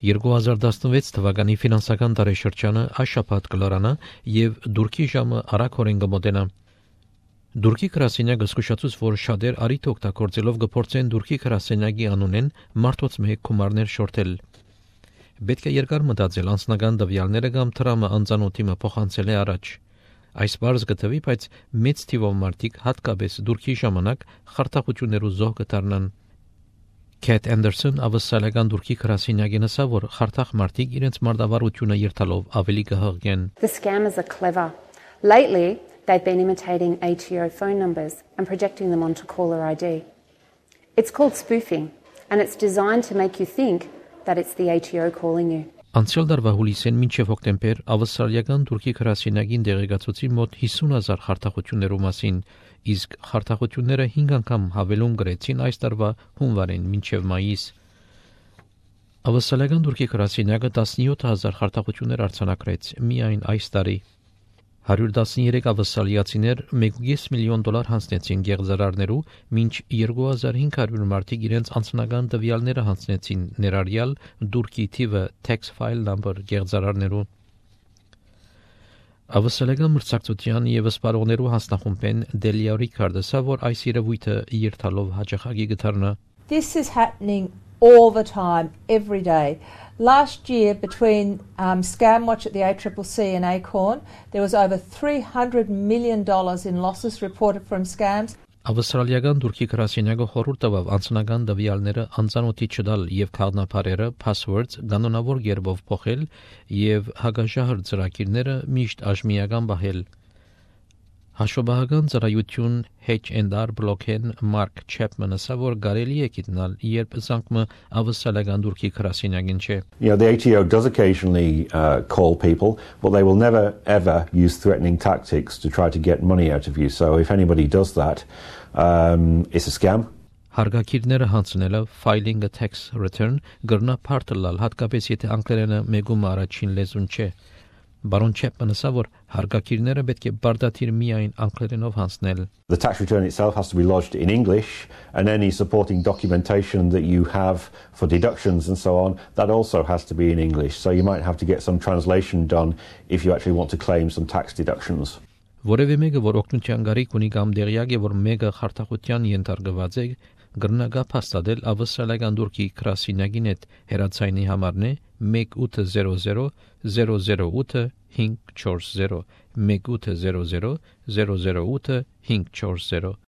2016 թվականի ֆինանսական տարեշրջանը այս շաբաթ կլարանա եւ դուրքի ժամը արագորեն կմոտենա։ Դուրքի գրասենյակը զսկուշացուց, որ շատեր արիթ օգտագործելով գործեն դուրքի գրասենյակի անունեն մարդոց մեկ գումարներ շորթել։ Պետք է երկար մտածել անձնական տվյալները կամ տրամը անծանոթի մը փոխանցել է առաջ։ Այս բարձ գտվի, բայց մեծ թիվով մարդիկ հատկապես դուրքի ժամանակ խարդախություններու զոհ կդառնան։ Քեթ Անդերսոն ավսալական դուրքի գրասենյակի նսա, որ խարդախ մարդիկ իրենց մարտավարությունը երթալով ավելի կհղկեն։ The scammers are clever. Lately, they've been imitating ATO phone numbers and projecting them onto caller ID. It's called spoofing, and it's designed to make you think that it's the ATO calling you. Անցյալ դարվա հուլիսեն մինչև հոկտեմբեր ավստրալիական դուրքի գրասենյակին տեղեկացուցի մոտ 50,000 խարդախություններու մասին, իսկ խարդախությունները 5 անգամ հավելում գրեցին այս տարվա հունվարին մինչև մայիս։ Ավստրալիական դուրքի գրասենյակը 17,000 խարդախություններ արձանագրեց միայն այս տարի։ 113 ավստրալիացիներ $1.5 միլիոն հանձնեցին գեղձարարներու, մինչ 2500 մարդիկ իրենց անձնական տվյալները հանձնեցին ներառյալ դուրքի թիվը tax file number գեղձարարներու։ Ավստրալիական մրցակցության եւ սպառողներու հանձնախումբեն Delia Ricardsa, որ այս երևույթը երթալով հաջողակի կդառնա։ This is happening all the time, every day. Last year, between Scamwatch at the ACCC and Acorn, there was over $300 million in losses reported from scams. Ավստրալիական դուրքի գրասենյակը խորհուրդ տվավ անձնական տվյալները անծանոթի չդալ եւ քաղաքապարերը passwords կանոնավոր կերպով փոխել եւ հագաժահր ծրագիրները միշտ աժմիական բահել։ Հաշվաբահական ծառայություն H&R Blockchain Mark Chapman ասա, որ կարելի է գտնել, երբ զանգումը ավստրալիական դուրքի գրասենյակին չէ։ The ATO does occasionally call people, but they will never ever use threatening tactics to try to get money out of you. So if anybody does that, it's a scam. Հարգակիրները հանձնելը filing a tax return գրնա փարտլալ, հատկապես եթե անգլերենը մեգում առաջին լեզուն չէ։ Baron Chapman ասա, որ հարգակիրները պետք է բարդաթիր միայն անգլերենով հանձնել։ The tax return itself has to be lodged in English, and any supporting documentation that you have for deductions and so on, that also has to be in English. So you might have to get some translation done if you actually want to claim some tax deductions. Որևէ մեկը, որ օգնության գարիք ունի կամ դերյակ է, որ մեկը խարդախության ենթարկված է, գրնագա փաստադել ավստրալիական դուրքի գրասենյակին հետ հեռացայինի համարն է 1800 008 540 1800 008 540